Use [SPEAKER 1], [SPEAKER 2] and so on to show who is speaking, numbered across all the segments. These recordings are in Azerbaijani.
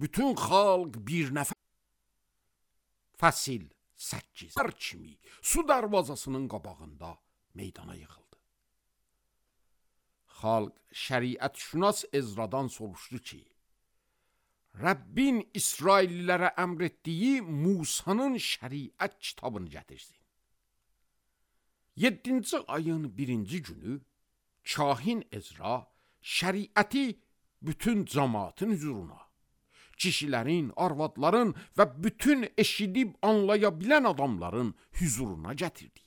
[SPEAKER 1] bütün xalq bir nəfər Fəsil 8 kimi su darvazasının qabağında meydana yığıldı. Xalq şəriət-şünas Ezradan soruşdu ki, Rəbbin İsraillilərə əmr etdiyi Musanın şəriət kitabını gətirsin. 7-ci ayın 1-ci günü kahin Ezra şəriəti bütün cəmaatın hüzuruna, kişilərin, arvadların və bütün eşidib anlaya bilən adamların hüzuruna gətirdi.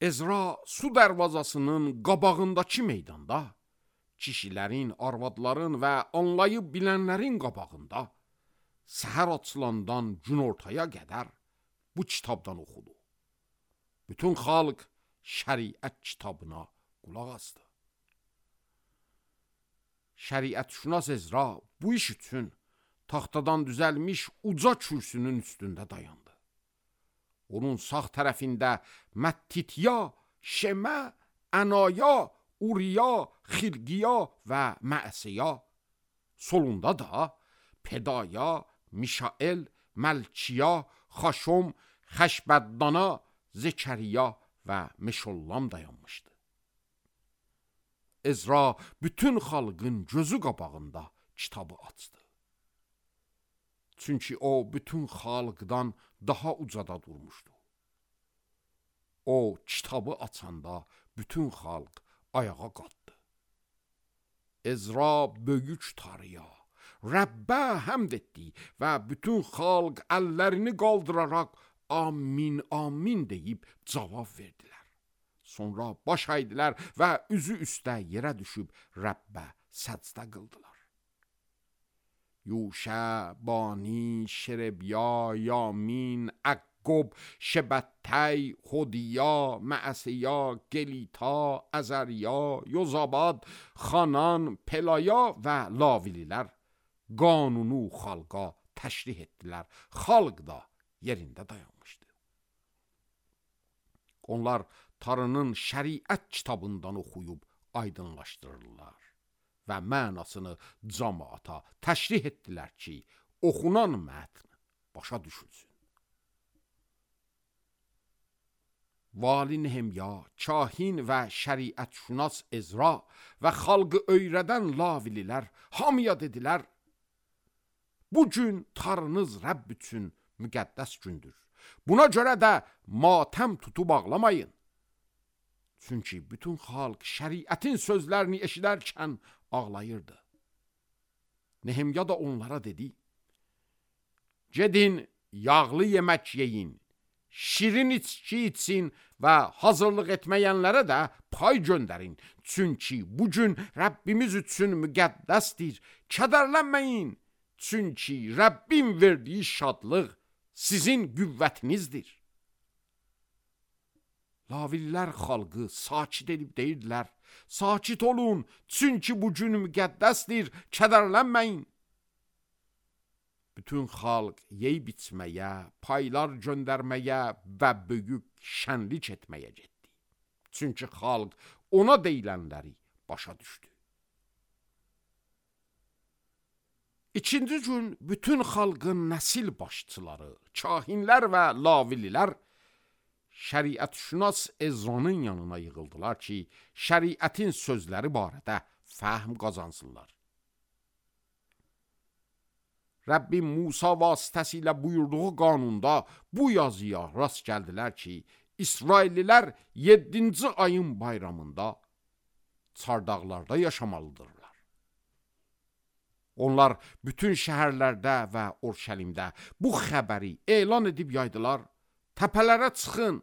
[SPEAKER 1] Ezra su dərvazasının qabağındakı meydanda, kişilərin, arvadların və anlayıb bilənlərin qabağında səhər açılandan günortaya qədər bu kitabdan oxudu. Bütün xalq şəriət kitabına qulaq asdı. Şəriət-şünas Ezra bu iş üçün taxtadan düzəlmiş uca kürsünün üstündə dayandı. Onun sağ tərəfində Məttitya, Şemə, Ənaya, Uriya, Xilqiya və Məəsiya, solunda da Pedaya, Mişael, Məlkiya, Xaşom, Xəşbəddana, Zekəriya və Meşollam dayanmışdı. Ezra bütün xalqın gözü qabağında kitabı açdı. Çünki o bütün xalqdan daha ucada durmuşdu. O kitabı açanda bütün xalq ayağa qalxdı. Ezra böyük Tanrıya, Rəbbə həmd etdi və bütün xalq əllərini qaldıraraq amin, amin deyib cavab verdilər. Sonra baş əydilər və üzü üstə yerə düşüb Rəbbə səcdə qıldılar. Yuşə, Bani, Şerebiya, Yamin, Əqqob, Şebətəy, Xodiya, Məəsiya, Gelita, Əzəriya, Yozabad, Xanan, Pelaya və Lavililər qanunu xalqa təşrih etdilər. Xalq da yerində dayanmışdı. Onlar Tanrının şəriət kitabından oxuyub aydınlaşdırırlar və mənasını cəmaata təşrih etdilər ki, oxunan mətn başa düşülsün. Vali Nehemya, kahin və şəriət-şünas Ezra və xalqı öyrədən Lavililər hamıya dedilər, bu gün Tanrınız Rəbb üçün müqəddəs gündür. Buna görə də matəm tutub ağlamayın. Çünki bütün xalq şəriətin sözlərini eşidərkən ağlayırdı. Nehemya da onlara dedi, gedin, yağlı yemək yeyin, şirin içki için və hazırlıq etməyənlərə də pay göndərin. Çünki bugün Rəbbimiz üçün müqəddəsdir. Kədərlənməyin, çünki Rəbbin verdiyi şadlıq sizin qüvvətinizdir. Lavillər xalqı sakit edib deyirdilər, sakit olun, çünki bugün müqəddəsdir, kədərlənməyin. Bütün xalq yeyib içməyə, paylar göndərməyə və böyük şənlik etməyə getdi. Çünki xalq ona deyilənləri başa düşdü. İkinci gün bütün xalqın nəsil başçıları, kahinlər və lavililər şəriət-şünas Ezranın yanına yığıldılar ki, şəriətin sözləri barədə fəhm qazansınlar. Rəbbim Musa vasitəsilə buyurduğu qanunda bu yazıya rast gəldilər ki, İsraillilər 7-ci ayın bayramında çardaqlarda yaşamalıdırlar. Onlar bütün şəhərlərdə və Orşəlimdə bu xəbəri elan edib yaydılar. Təpələrə çıxın,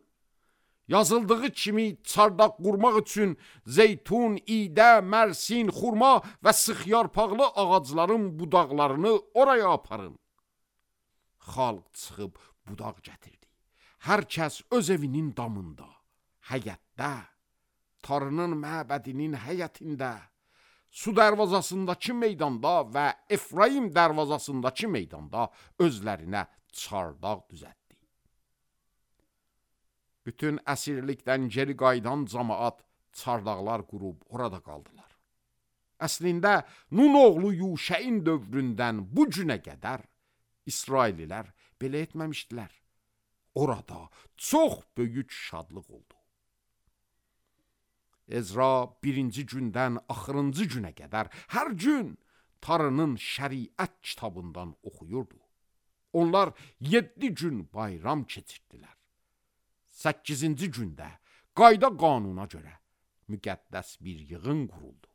[SPEAKER 1] yazıldığı kimi çardaq qurmaq üçün zeytun, idə, mərsin, xurma və sıxyarpaqlı ağacların budaqlarını oraya aparın. Xalq çıxıb budaq gətirdi. Hər kəs öz evinin damında, həyətdə, Tanrının məbədinin həyətində, su dərvazasındakı meydanda və Efraim dərvazasındakı meydanda özlərinə çardaq düzətdi. Bütün əsirlikdən geri qayıdan cəmaat çardaqlar qurub orada qaldılar. Əslində Nun oğlu Yuşəyin dövründən bu günə qədər İsraillilər belə etməmişdilər. Orada çox böyük şadlıq oldu. Ezra birinci gündən axırıncı günə qədər hər gün Tanrının şəriət kitabından oxuyurdu. Onlar 7 gün bayram keçirdilər. 8-ci gündə qayda qanuna görə müqəddəs bir yığın quruldu.